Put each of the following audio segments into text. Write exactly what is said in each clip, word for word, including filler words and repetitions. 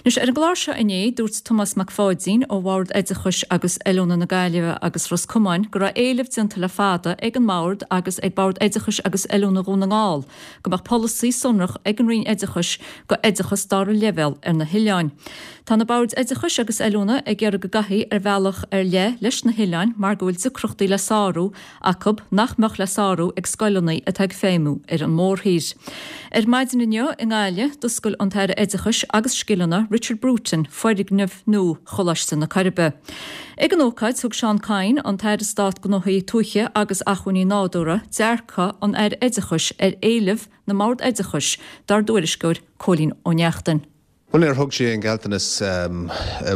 Anois ar an gclár seo inné dúirt Tomás Mac Pháidín ó Bhord Oideachais agus Oiliúna na Gaillimhe agus Ros Comáin go raibh éileamh déanta le fada ag an mBord agus ag Bord Oideachais agus Oiliúna Dhún na nGall go mbeadh polasaí sonrach ag an Roinn Oideachais go oideachas dara leibhéal ar na hoileáin. Tá na Boird Oideachais agus Oiliúna ag iarraidh go gcaithfí ar bhealach ar leith leis na hoileáin mar go bhfuil deacrachtaí le sárú acu nach mbeadh le sárú ag scoileanna atá ag feidhmiú ar an mórthír. Ar maidin inniu i nGaillimh d'oscail an tAire Oideachais agus Scileanna Richard Bruton foirgneamh nua Choláiste na Coiribe. Ag an ócáid thug Seán Kyne an tAire Stáit Gnóthaí Tuaithe agus Acmhainní Nádúrtha dearcadh an Aire Oideachais ar éileamh na mBord Oideachais dár dtuairisceoir Cóilín Ó Neachtain. Well níor thug sé aon ghealltanas um,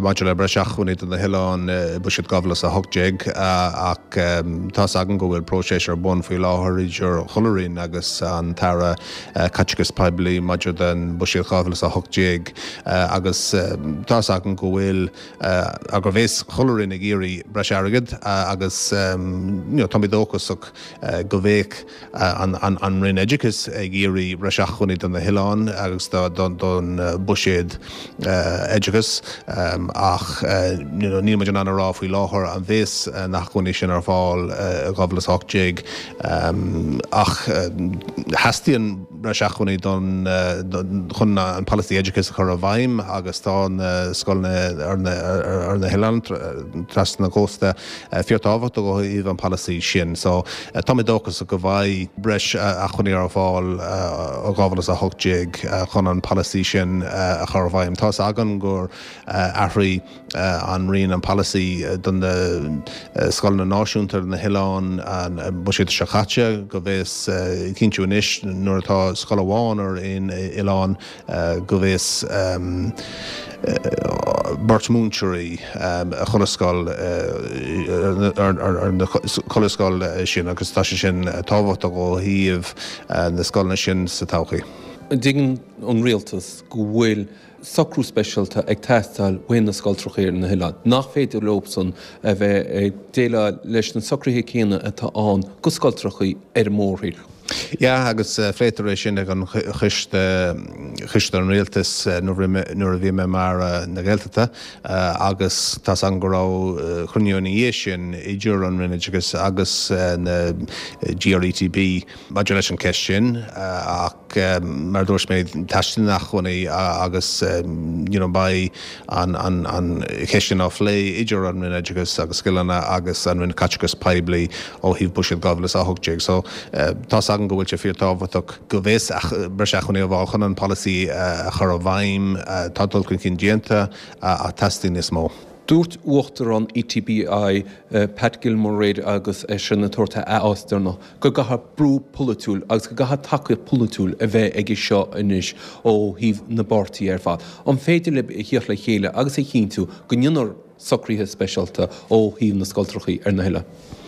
maidir le breis acmhainní do na hoileáin buiséad dhá mhíle a hocht déag ach um, tá agam go bhfuil próiseas ar bun faoi láthair idir chuile roinn agus an tAire uh, Caiteachais Poiblí maidir den buiséad dhá mhíle a hocht déag uh, agus um, tá agam go bhfuil uh, agur bhéas chuile roinn ag iarraidh breis airgid uh, agus um, you know, tá mé dóchasach uh, go mbeidh uh, an, an, an Roinn Oideachais ag iarraidh breis acmhainní do na hoileáin agus don don uh, buiséad uh, oideachais um, ach uh, you know, níl muid in ann a rá faoi láthair an mbeidh uh, na hacmhainní sin ar fáil dhá mhíle a hocht déag um, ach uh, theastaíonn breis acmhainní don, uh, don chun an polasaí oideachais a chur i bhfeidhm agus tá na scoileanna ar na, ar na hoileáin trasna na cósta uh, fíorthábhachtach ó thaobh an polasaí sin. So uh, tá mé dóchasach go mbeidh breis uh, acmhainní ar fáil uh, dhá mhíle a hocht déag uh, chun an polasaí sin uh, a chur i bhfeidhm. Tá agam gur uh, athraigh uh, an Roinn an polasaí uh, don na uh, scoileanna náisiúnta na hoileáin an uh, buiséad seo caite go bhfuil uh, cinntiú anois nuair atá scoil amháin ar aon oileán uh, go bhfuil um, uh, beirt múinteoirí um, a chuile scoil uh, ar, ar, ar na chuile scoil sin agus tá sé sin tábhachtach ó thaobh uh, na scoileanna sin sa todhchaí. Tuigeann an rialtas go bhfuil socrú speisialta ag teastáil ó na scoltracha ar na hoileáin. Nach féidir leosan a bheith ag déileáil leis na socruithe céanna atá ann go scoltracha ar an mórthír. Ja agus uh, phléamar é sin ag an choiste choiste an rialtais uh, nuair a bhí mé mar uh, na Gaeltachta uh, agus tá an go raibh uh, cruinniú ina sin idir an Roinn agus agus uh, na GRETB maidir leis an ceist sin uh, ach um, mar dúirt mé teastaíonn acmhainní agus um, you know, beidh an, an, an cheist sin á phlé idir an Roinn Oideachais agus Scileanna agus an Roinn Caiteachais Poiblí ó thaobh buiséad dhá mhíle a hocht déag. So uh, tá agam go bhfuil sé fíorthábhachtach go bhfuil breis acmhainní ar fáil chun an polasaí uh, a chur i bhfeidhm uh, tá dul chun cinn déanta uh, ach teastaíonn níos mó. Dúirt Uachtarán ETBI uh, Pat Gilmore agus é sin na torta a ásterna go gcaithfidh brú polaitiúil agus go gcaithfidh tacaíocht polaitiúil a bheith aige seo anois ó thaobh na bpáirtithe ar fad. An féidir libh a theacht le chéile agus a chinntiú go ndéanfar socruithe speisialta ó thaobh na scoltracha ar na hoileáin.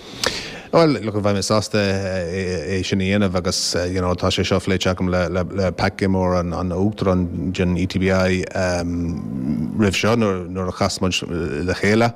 Well, look, bheinn sásta é sin a dhéanamh agus you know, tá sé seo pléite agam le, le, le Pat Gilmore an, an Uachtarán den ETBI um, roimh seo nuair nuair a chas muid le chéile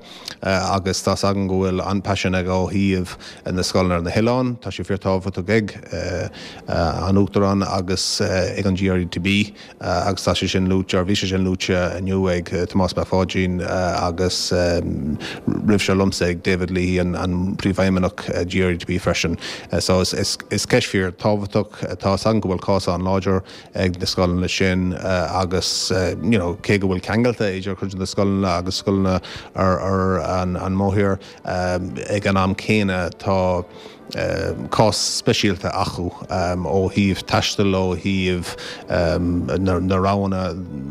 uh, agus tá agam go bhfuil an-phaisean aige ó thaobh na scoileanna ar na hoileáin, tá sé fíorthábhachtach ag uh, uh, an Uachtarán agus uh, ag an GRETB uh, agus tá sé sin luaite bhí sé sin luaite inniu ag uh, Tomás Mac Pháidín uh, agus um, roimh seo liomsa ag David Leahy an, an príomhfheidhmeannach uh, GRETB freisin. Uh, so is, is, is ceist fíorthábhachtach tá agam go bhfuil cás an-láidir ag na scoileanna sin uh, agus uh, you know, cé go bhfuil ceangal idir cuid na scoileanna agus scoileanna ar, ar an, an mórthír um, ag an am céanna tá um, cás speisialta acu um, ó thaobh taistil ó thaobh um, na, na roghanna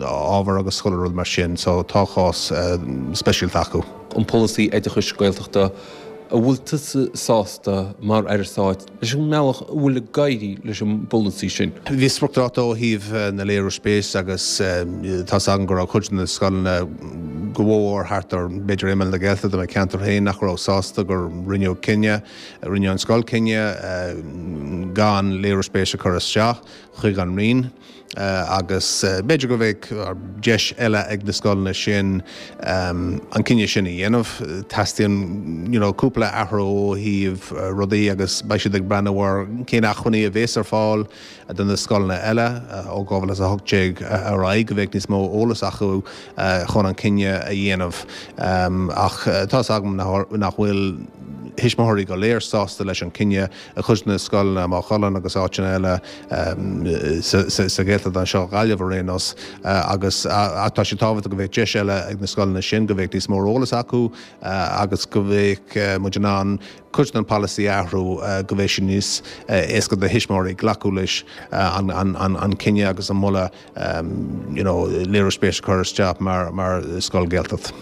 ábhar agus chuile rud mar sin, so tá cás uh, speisialta acu. An polasaí oideachais Gaeltachta an bhfuil tusa sásta mar Aire Stáit leis an mbealach a bhfuil ag éirí leis an bpolasaí sin. Bhí spriocdháta ó thaobh na léiriú spéise agus tá agam go raibh cuid na scoileanna go mhór thart ar b'fhéidir imeall na Gaeltachta i mo cheantar féin nach raibh sásta gur rinneadh cinneadh, rinne an scoil cinneadh gan léiriú spéise a chur isteach chuig an Roinn agus b'fhéidir go mbeidh deis eile ag na scoileanna sin an cinneadh sin a dhéanamh. Teastaíonn you know cúpla athrú ó thaobh rudaí agus beidh siad ag breathnú ar cén acmhainní a bhéas ar fáil do na scoileanna eile ó dhá mhíle is a hocht déag ar aghaidh, go mbeidh níos mó eolas acu chun an cinneadh a dhéanamh. Ach tá's agam nach bhfuil thuismitheoirí go léir sásta leis an cinneadh i gcuid de na scoileanna, Maigh Cuilinn agus áiteanna eile sa Ghaeltacht anseo, Gaillimh ar aon nós, agus tá sé tábhachtach go mbeadh deis eile ag na scoileanna sin, go mbeadh níos mó eolas acu agus go mbeadh muid in ann cuid den polasaí a athrú go mbeadh sé níos éasca do thuismitheoirí glacadh leis an cinneadh agus an moladh you know léiriú spéise a chur isteach mar scoil Ghaeltacht.